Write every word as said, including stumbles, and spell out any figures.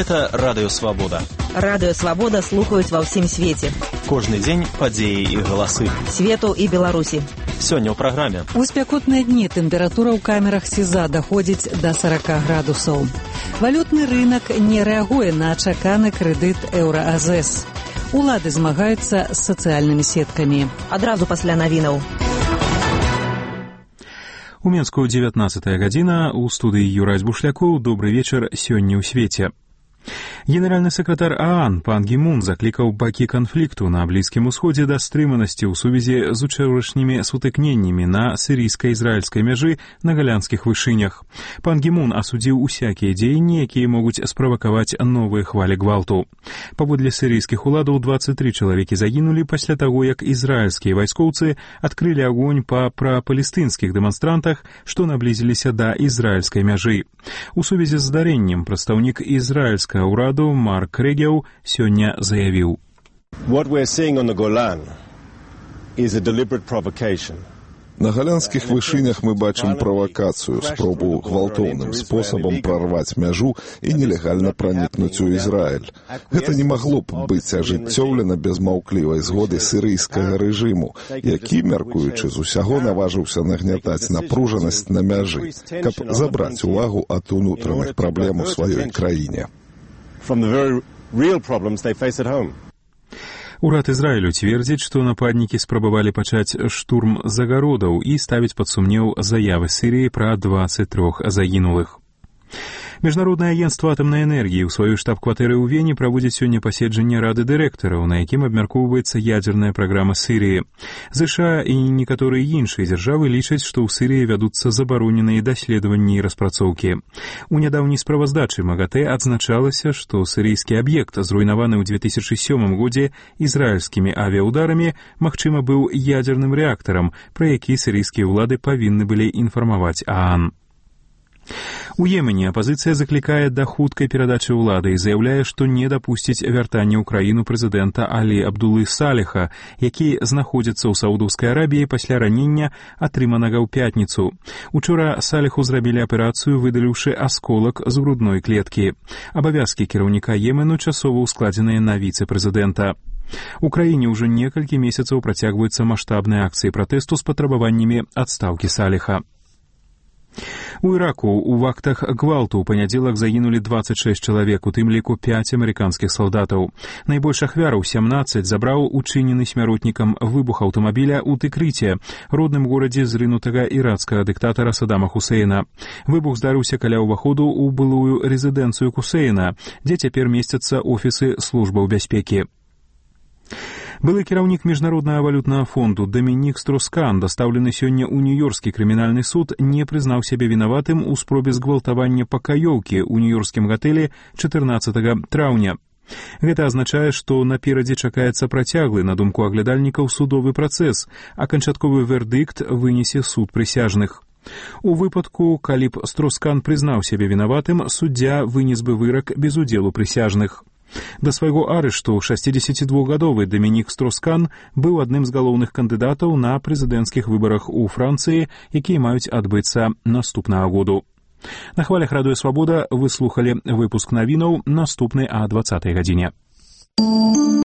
Гэта радыёвабода. Радыёвабода слухаюць ва ўсім свеце. Кожны дзень падзеі і галасы. Свету і Беларусі. Сёння ў праграме. У спякотныя дні тэмпература ў камерах СІЗА даходзіць да сорок градусаў. Валютны рынак не рэагуе на чаканы крэдыт еўра-АЗС. Улады змагаюцца з сацыяльнымі сеткамі. Адразу пасля навінаў. У Менску дзевятнаццатая гадзіна, у студыі Юрась Бушлякоў. Добры вечар, сёння ў свеце. Генеральны сакратар ААН пан Гі Мун заклікаў бакі канфлікту на Блізкім Усходзе да стрыманасці ў сувязі з учорашнімі сутыкненнямі на сірыйска-ізраільскай мяжы на галянскіх вышынях. Пан Гі Мун асудзіў усякія дзеянні, якія могуць справакаваць новыя хвалі гвалту. Паводле сірыйскіх уладаў дваццаць тры чалавекі загінулі пасля таго, як ізраільскія вайскоўцы адкрылі агонь па прапалестынскіх дэманстрантах, што наблізіліся да ізраільскай мяжы. У сувязі з здарэннем прадстаўнік ізраільскага ўраду Марк Регеў сёння заявіў: What we're seeing on the Golan is a deliberate provocation. На галянскіх вышынях мы бачым правакацыю, спробу гвалтоўным спосабам прарваць мяжу і нелегальна пранікнуць у Ізраіль. Гэта не магло б быць ажыццёўлена без маўклівай згоды сірыйскага рэжыму, які, мяркуючы з усяго, наважыўся нагнятаць напружанасць на мяжы, каб забраць увагу ад унутраных праблем у сваёй краіне. From the very real problems they face at home. Урад Ізраілю цвердзіць, што нападнікі спрабавалі пачаць штурм загародаў і ставіць пад сумнеў заявы Сірыі пра дваццаць тры загінулых. Міжнароднае агенцтва атамнай энергіі ў сваёй штаб-кватэры ў Вене праводзіць сёння паседжанне рады дырэктараў, на якім абмяркоўваецца ядзерная праграма Сірыі. ЗША і некаторыя іншыя дзяржавы лічаць, што ў Сірыі вядуцца забароненыя даследаванні і распрацоўкі. У нядаўняй справаздачы МАГАТЭ адзначалася, што сірыйскі аб'ект, зруйнаваны ў две тысячы сёмым годзе ізраільскімі авіяударамі, магчыма, быў ядзерным рэактарам, пра які сірыйскія ўлады павінны былі інфармаваць ААН. У Йемене апазіцыя заклікае да хуткай перадачы ўлады і заяўляе, што не дапусціць вяртання ў краіну прэзідэнта Алі Абдулы Саліха, які знаходзіцца ў Саудаўскай Арабіі пасля ранення, атрыманага ў пятніцу. Учора Саліху зрабілі аперацыю, выдаліўшы асколак з грудной клеткі. Абавязкі кіраўніка Йемену часова ўскладзеныя на віцэ-прэзідэнта. У краіне ўжо некалькі месяцаў працягваюцца маштабныя акцыі пратэсту з патрабаваннямі адстаўкі Саліха. У Іраку ў актах гвалту ў панядзелак загінулі дваццаць шэсць чалавек, у тым ліку пяць амерыканскіх салдатаў. Найбольш ахвяраў сямнаццаць забраў учынены смяротнікам выбух аўтамабіля ў Тыкрыце, родным горадзе зрынутага ірацкага дыктатара Садама Хусейна. Выбух здарыўся каля ўваходу ў былую рэзідэнцыю Хусейна, дзе цяпер месцяцца офісы службаў бяспекі. Былы кіраўнік Міжнароднага валютнага фонду Дамінік Строскан, дастаўлены сёння ў Нью-Йоркскі крымінальны суд, не прызнаў сябе вінаватым у спробе згвалтавання пакаёўкі ў нью-йоркскім гатэлі чатырнаццатага траўня. Гэта азначае, што наперадзе чакаецца працяглы, на думку аглядальнікаў, судовы працэс, а канчатковы вердыкт вынесе суд прысяжных. У выпадку, калі б Строскан прызнаў сябе вінаватым, суддзя вынес бы вырак без удзелу прысяжных. Да свайго арышту шэсцідзесяцідвухгадовы Дамінік Строскан быў адным з галоўных кандыдатаў на прэзідэнцкіх выбарах у Францыі, якія маюць адбыцца наступнага году. На хвалях радыёвабода вы слухалі выпуск навінаў, наступны а дваццатай гадзіне.